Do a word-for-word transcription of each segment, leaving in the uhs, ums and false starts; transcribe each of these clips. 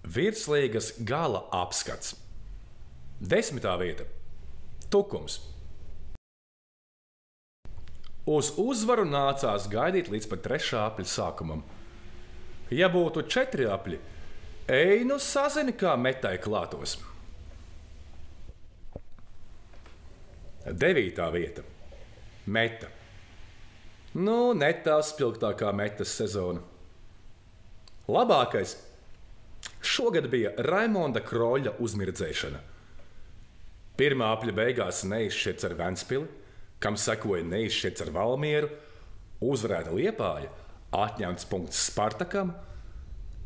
Virslīgas gala apskats. Desmitā vieta – Tukums. Uz uzvaru nācās gaidīt līdz pat trešā apļa sākumam. Ja būtu četri apļi, ej nu sazini, kā metai klātos. Devītā vieta – Meta. Nu, ne tā spilgtākā metas sezona. Labākais šogad bija Raimonda Kroļa uzmirdzēšana. Pirmā apļa beigās neizšķirts ar Ventspili, kam sekoja neizšķirts ar Valmieru, uzvarēta Liepāja, atņemts punkts Spartakam,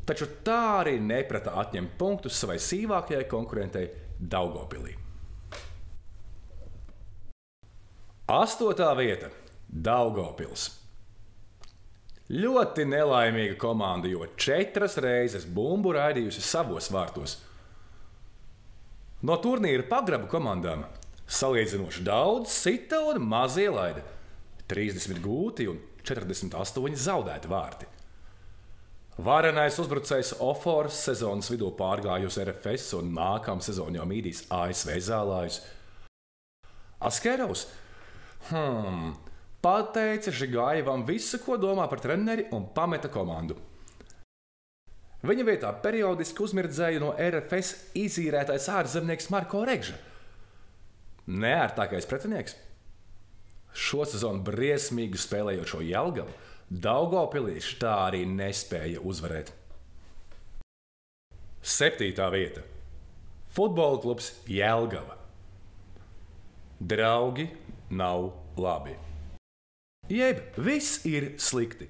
taču tā arī neprata atņemt punktus savai sīvākajai konkurentei Daugavpilī. Astotā vieta – Daugavpils. Ļoti nelaimīga komanda, jo četras reizes bumbu raidījusi savos vārtos. No turnīra pagrabu komandām salīdzinoši daudz sita un maz ielaida. trīsdesmit gūti un četrdesmit astoņi zaudēti vārti. Varenais uzbrucējs Ofors sezonas vidū pārgājusi R F S un nākamā sezona jau mīdīs A S V zālājus. Askerovs hmm, pateica Žigājevam visu, ko domā par treneri, un pameta komandu. Viņa vietā periodiski uzmirdzēja no R F S izīrētais ārzemnieks Marko Regža. Neērtākais pretinieks. Šo sezonu briesmīgi spēlējošo Jelgavu Daugavpilieši tā arī nespēja uzvarēt. Septītā vieta – Futbola klubs Jelgava. Draugi nav labi. Jeb viss ir slikti.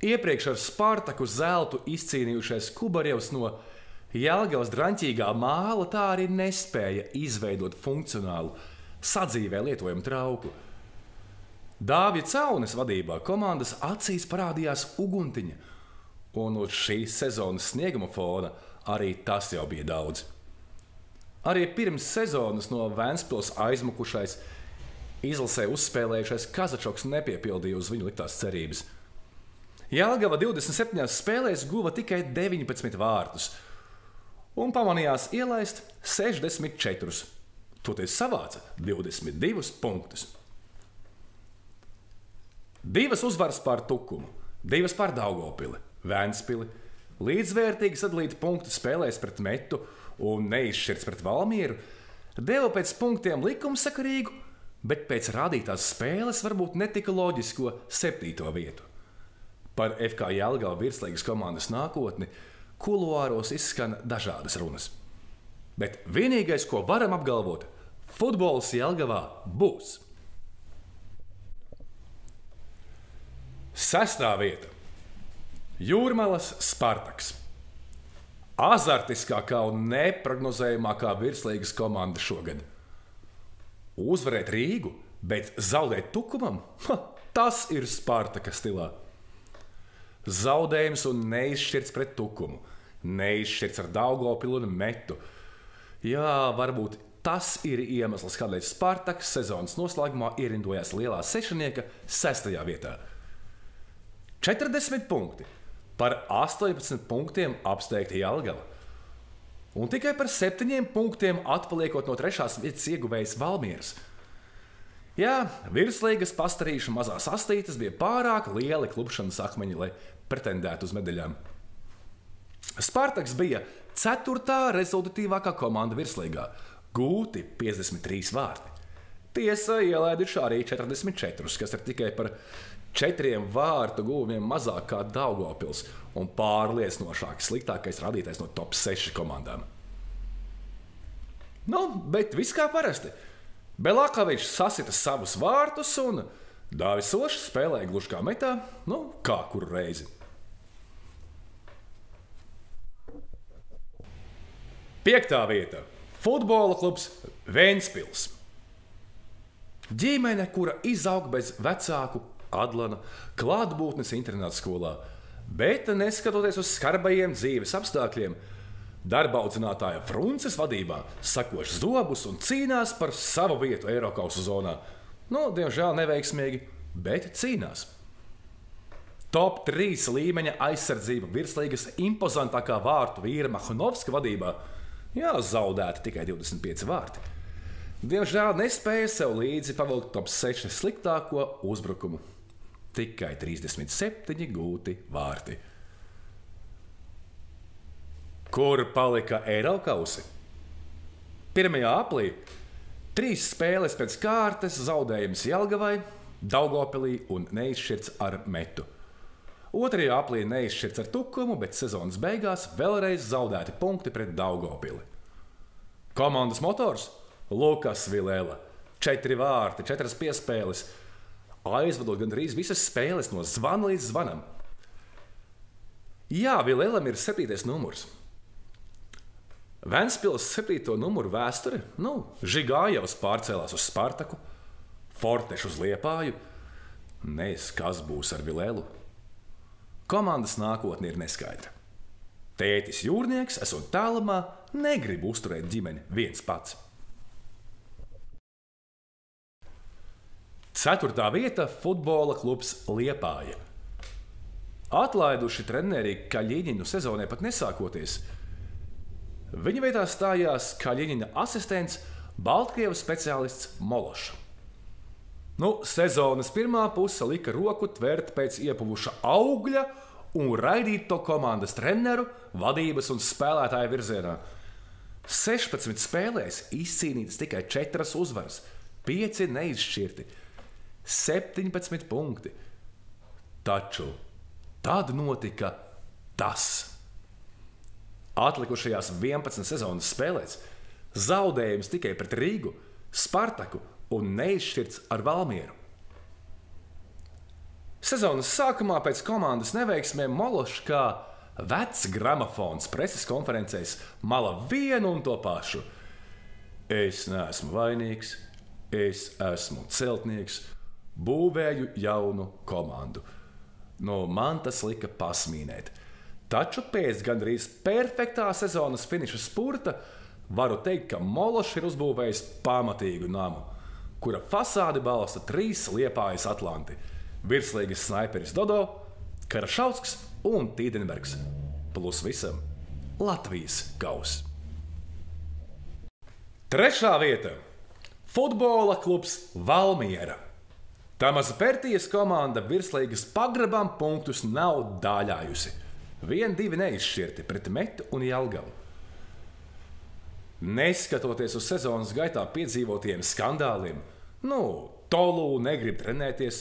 Iepriekš ar Spartaku zeltu izcīnījušais Kubarjevs no Jelgavas draņķīgā māla tā arī nespēja izveidot funkcionālu, sadzīvē lietojumu trauku. Dāvja Caunes vadībā komandas acīs parādījās uguntiņa, un uz šīs sezonas snieguma fona arī tas jau bija daudz. Arī pirms sezonas no Ventspils aizmukušais, izlasē uzspēlējušais Kazačoks nepiepildīja uz viņu liktās cerības. Jelgava divdesmit septiņās spēlēs guva tikai deviņpadsmit vārtus un pamanījās ielaist sešdesmit četrus. Toties savāca divdesmit divus punktus. Divas uzvaras pār Tukumu, divas pār Daugavpili, Ventspili, līdzvērtīgi sadalīti punktu spēlēs pret Metu un neizšķirts pret Valmieru, deva pēc punktiem likumsakarīgu, bet pēc rādītās spēles varbūt netika loģisko septīto vietu. Par F K Jelgava virslīgas komandas nākotni kuluāros izskan dažādas runas. Bet vienīgais, ko varam apgalvot, futbols Jelgavā būs. Sestā vieta – Jūrmalas Spartaks. Azartiskākā un neprognozējamākā virslīgas komanda šogad. Uzvarēt Rīgu, bet zaudēt Tukumam? Ha, tas ir Spartaka stilā. Zaudējums un neizšķirts pret Tukumu, neizšķirts ar Daugavpilu un Metu. Jā, varbūt tas ir iemesls, kādēļ Spartaks sezonas noslēgumā ierindojās lielā sešanieka sestajā vietā. četrdesmit punkti, par astoņpadsmit punktiem apsteigta Jelgava. Un tikai par septiņiem punktiem atpaliekot no trešās vietas ieguvējs Valmieras. Jā, virslīgas pastarīšu mazās astītes bija pārāk lieli klupšanas akmeņi, lai pretendētu uz medaļām. Spartaks bija ceturtā rezultatīvākā komanda virslīgā, gūti piecdesmit trīs vārti. Tiesa, ielaiduši arī četrdesmit četrus, kas ir tikai par četriem vārtu gūvumiem mazāk kā Daugavpils un pārliecinošāk sliktākais rādītājs no top seši komandām. Nu, bet viss kā parasti. Belakavičs sasita savus vārtus un Dāvis Ošs spēlēja gluži kā metā, nu, kā kuru reizi. Piektā vieta – Futbola klubs Ventspils. Ģimene, kura izaug bez vecāku Adlana klātbūtnes internāta skolā, bet neskatoties uz skarbajiem dzīves apstākļiem, darba audzinātāja Frunces vadībā sakoš zobus un cīnās par savu vietu Eirokausu zonā. Nu, diemžēl neveiksmīgi, bet cīnās. Top trīs līmeņa aizsardzība virslīgas impozantākā vārtu vīra Mahanovska vadībā. Jā, zaudēti tikai divdesmit pieci vārti. Diemžēl nespēja sev līdzi pavilkt top seši sliktāko uzbrukumu. Tikai trīsdesmit septiņi gūti vārti. Kur palika Eirokausi? Pirmajā aplī trīs spēles pēc kārtas zaudējums Jelgavai, Daugavpilī un neizšķirts ar metu. Otrajā aplī neizšķirts ar tukumu, bet sezonas beigās vēlreiz zaudēti punkti pret Daugavpili. Komandas motors Lukas Vilela. Četri vārti, četras piespēles. Aizvadot gandrīz visas spēles no zvana līdz zvanam. Jā, Vilelam ir septītais numurs. Ventspils septīto numuru vēsture, nu, Žigājevs pārcēlās uz Spartaku, Forteš uz Liepāju. Nez kas būs ar Vilelu. Komandas nākotne ir neskaidra. Tētis jūrnieks, esot tālumā, negrib uzturēt ģimeni viens pats. Ceturtā vieta – futbola klubs Liepāja. Atlaiduši treneri Kaļiņinu sezonai pat nesākoties. Viņa vietā stājās Kaļiņina asistents, Baltkrievas speciālists Mološs. Nu, sezonas pirmā puse lika roku tvert pēc iepuvuša augļa un raidīt to komandas treneru, vadības un spēlētāju virzienā. sešpadsmit spēlēs izcīnītas tikai četras uzvaras, pieci neizšķirti, septiņpadsmit punkti. Taču tad notika tas. Atlikušajās vienpadsmit sezonas spēlēs zaudējums tikai pret Rīgu, Spartaku un neizšķirts ar Valmieru. Sezonas sākumā pēc komandas neveiksmēm Mološs kā vecs gramofons preses konferencēs mala vienu un to pašu. Es neesmu vainīgs, es esmu celtnieks, būvēju jaunu komandu. No man tas lika pasmīnēt. Taču pēc gandrīz perfektā sezonas finiša spurta varu teikt, ka Mološs ir uzbūvējis pamatīgu namu, kura fasādi balsta trīs Liepājas atlanti – virslīgas snaiperis Dodo, Karašausks un Tīdenbergs, plus visam Latvijas kaus. Trešā vieta – futbola klubs Valmiera. Tamaza Pertijas komanda virslīgas pagrabām punktus nav dāļājusi. Vien divi neizšķirti pret Metu un Jelgavu. Neskatoties uz sezonas gaitā piedzīvotiem skandāliem, nu, Tolu negrib trenēties,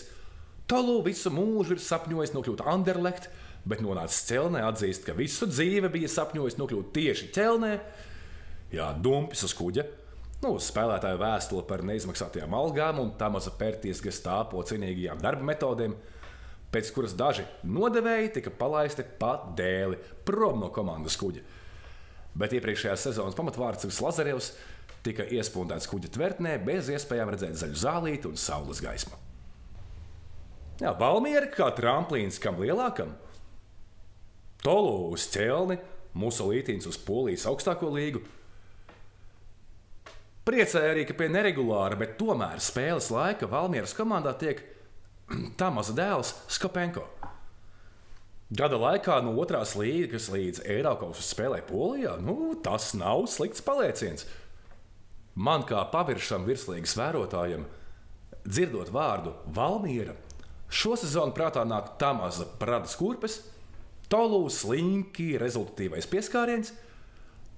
Tolu visu mūžu ir sapņojis nokļūt Anderlecht, bet nonācis Ķelnē atzīst, ka visu dzīve bija sapņojis nokļūt tieši Ķelnē. Jā, dumpis uz kuģa, nu, spēlētāju vēstule par neizmaksātajām algām un Tamaza Pertijas gestāpo cienīgajām darba metodēm, pēc kuras daži nodevēji tika palaisti pa dēli prom no komandas kuģa. Bet iepriekšējās sezonas pamatvārds Lazarevs tika iespundēts kuģa tvertnē bez iespējām redzēt zaļu zālīti un saules gaismu. Jā, Valmiera kā tramplīns kam lielākam. Tolu uz Ķelni, Musolītīns uz Polijas augstāko līgu. Priecēja arī, ka pie neregulāra, bet tomēr spēles laika Valmieras komandā tiek Tamaza dēls Skopenko. Gada laikā no otrās līgas līdz Eirokausu spēlē Polijā, nu, tas nav slikts palieciens. Man kā paviršam virslīgas vērotājam, dzirdot vārdu Valmiera, šo sezonu prātā nāk Tamaza Pradas kurpes, Tolu slinki rezultatīvais pieskāriens,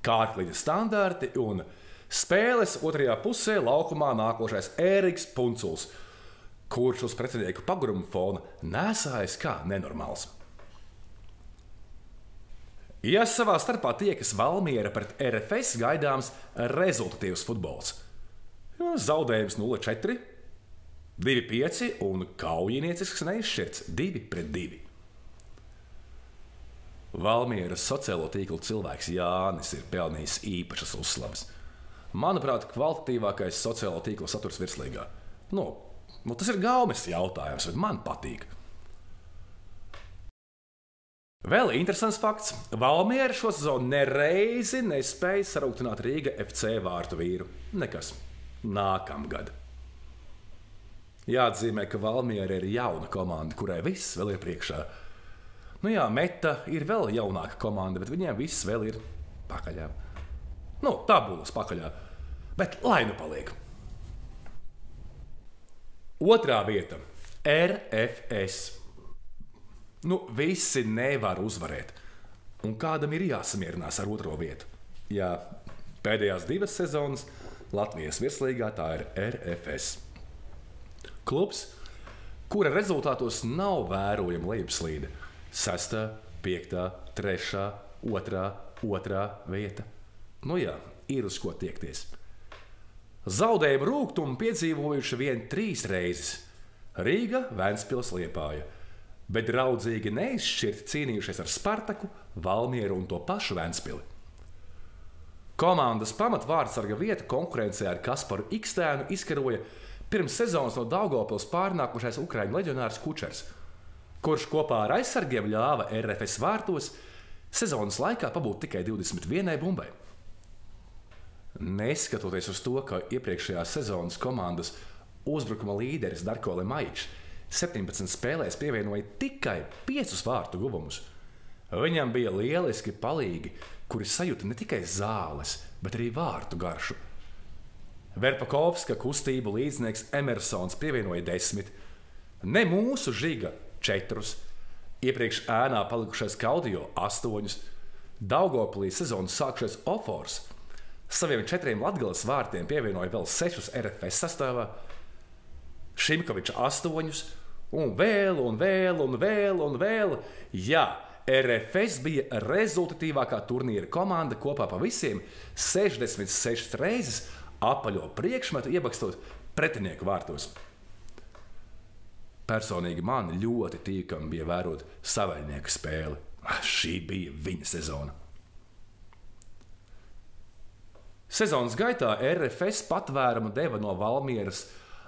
kārtliņa standarti un spēles otrajā pusē laukumā nākošais Ēriks Punculs, kurš uz pretinieku paguruma fona nesājas kā nenormāls. Ja savā starpā tiekas Valmiera pret R F S gaidāms rezultatīvs futbols. Zaudējums nulle četri, divi pieci un kaujiniecisks neizšķirts divi pret divi. Valmieras sociālo tīklu cilvēks Jānis ir pelnījis īpašas uzslavas. Manuprāt, kvalitatīvākais sociālo tīklu saturs virslīgā. Nu, nu, tas ir gaumes jautājums, bet man patīk. Vēl interesants fakts. Valmiera šo sezonu nereizi nespēja sarūktināt Rīga F C vārtu vīru. Nekas. Nākamgad. Jāatzīmē, ka Valmiera ir jauna komanda, kurai viss vēl ir priekšā. Nu jā, Meta ir vēl jaunāka komanda, bet viņiem viss vēl ir pakaļā. Nu, tabulas pakaļā. Bet lai nu paliek. Otrā vieta - R F S. Nu, visi nevar uzvarēt. Un kādam ir jāsamierinās ar otro vietu. Jā, pēdējās divas sezonas Latvijas virslīgā tā ir R F S. Klubs, kura rezultātos nav vērojama lejupslīde. Sestā, piektā, trešā, otrā, otrā vieta. Nu jā, ir uz ko tiekties. Zaudējumu rūgtumu piedzīvojuši vien trīs reizes - Rīga, Ventspils, Liepāja, bet draudzīgi neizšķirti cīnījušies ar Spartaku, Valmieru un to pašu Ventspili. Komandas pamatvārdsarga vieta konkurencē ar Kasparu Ikstēnu izkaroja pirms sezonas no Daugavpils pārnākušais ukraiņu leģionārs Kučers, kurš kopā ar aizsargiem ļāva R F S vārtos sezonas laikā pabūt tikai divdesmit vienai bumbai. Neskatoties uz to, ka iepriekšējās sezonas komandas uzbrukuma līderis Darko Lemaičs septiņpadsmit spēlēs pievienoja tikai piecus vārtu guvumus, viņam bija lieliski palīgi, kuri sajūta ne tikai zāles, bet arī vārtu garšu. Verpakovska kustību līdznieks Emersons pievienoja desmit, ne mūsu Žiga četrus, iepriekš ēnā palikušais Kaudijo astoņus, Daugavpilī sezonas sākušais Ofors saviem četriem Latgales vārtiem pievienoja vēl sešus R F S sastāvā, Šimkoviča astoņus, un vēl, un vēl, un vēl, un vēl. Jā, R F S bija rezultatīvākā turnīra komanda kopā pa visiem sešdesmit sešas reizes apaļo priekšmetu iebakstot pretinieku vārtos. Personīgi man ļoti tīkami bija vērot savaļnieku spēli. Šī bija viņa sezona. Sezonas gaitā R F S patvērumu deva no Valmieras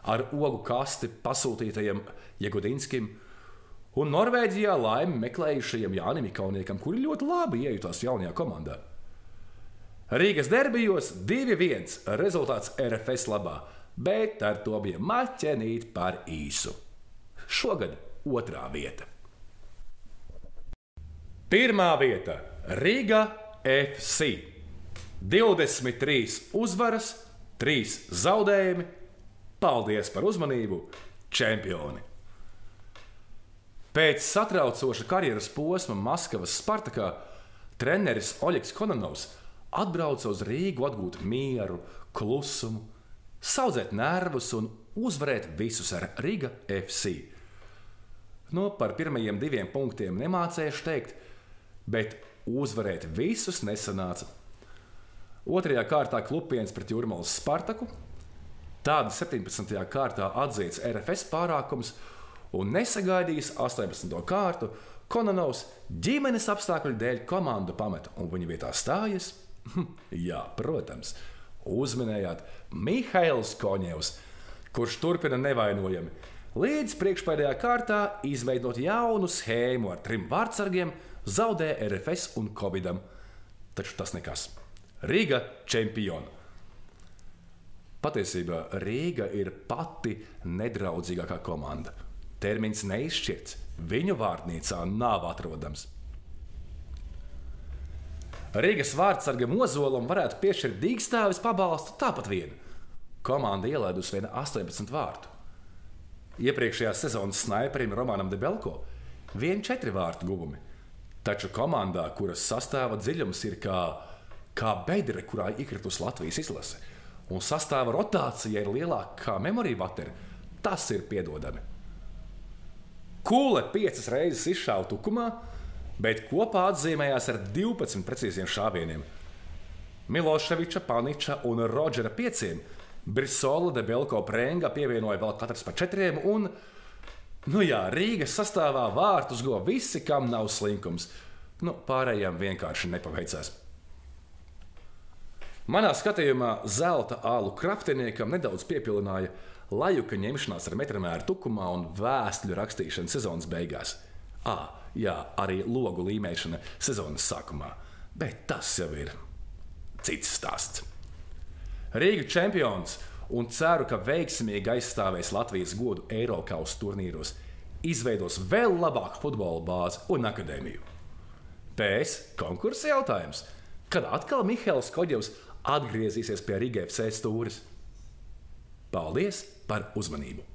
ar ogu kasti pasūtītajam Jegudinskim un Norvēģijā laimi meklējušajam Jānim Ikauniekam, kuri ļoti labi iejutās jaunajā komandā. Rīgas derbijos divi viens rezultāts R F S labā, bet ar to bija maķenīt par īsu. Šogad otrā vieta. Pirmā vieta - Riga F C. divdesmit trīs uzvaras, trīs zaudējumi. Paldies par uzmanību, čempioni! Pēc satraucoša karjeras posma Maskavas Spartakā treneris Oļegs Kononovs atbrauca uz Rīgu atgūt mieru, klusumu, saudzēt nervus un uzvarēt visus ar Riga F C. No par pirmajiem diviem punktiem nemācējuši teikt, bet uzvarēt visus nesanāca. Otrajā kārtā klupiens pret Jūrmalas Spartaku, tāda septiņpadsmitajā kārtā atzīts R F S pārākums un nesagaidījis astoņpadsmito kārtu, Kononovs ģimenes apstākļu dēļ komandu pameta un viņa vietā stājas, jā, protams, uzminējāt Mihails Koņevs, kurš turpina nevainojami, līdz priekšpēdējā kārtā izveidot jaunu schēmu ar trim vārdsargiem, zaudē R F S un Covidam. Taču tas nekas. Riga čempioni. Patiesībā Rīga ir pati nedraudzīgākā komanda. Termiņš neizšķirts, viņu vārtnīcā nav atrodams. Rīgas vārdsargam Ozolam varētu piešķirt Dīgstāvis pabalstu tāpat vien. Komanda ielaidusi vien astoņpadsmit vārtu. Iepriekšējā sezonas snaiperim Romanam Debelko vien četri vārtu guvumi. Taču komandā, kuras sastāva dziļums ir kā, kā bedre, kurā iekritus Latvijas izlase, un sastāva rotācija ir lielāka kā memorija vateri, tas ir piedodami. Kule piecas reizes izšāva tukumā, bet kopā atzīmējās ar divpadsmit precīziem šāvieniem. Miloševiča, Paniča un Rodžera pieciem, Brisola, Debelko, Prenga pievienoja vēl katrs pa četriem, un, nu jā, Rīgas sastāvā vārtus go visi, kam nav slinkums. Nu, pārējām vienkārši nepaveicās. Manā skatījumā zelta ālu kraftiniekam nedaudz piepilināja lajuka ņemšanās ar metramēru tukumā un vēstuļu rakstīšana sezonas beigās. Ā, jā, arī logu līmēšana sezonas sākumā, bet tas jau ir cits stāsts. Rīga čempions un ceru, ka veiksmīgi aizstāvēs Latvijas godu Eirokausa turnīros, izveidos vēl labāku futbola bāzi un akadēmiju. Pēc konkursa jautājums, kad atkal Mihails Koģevs atgriezīsies pie Riga F C stūres. Paldies par uzmanību!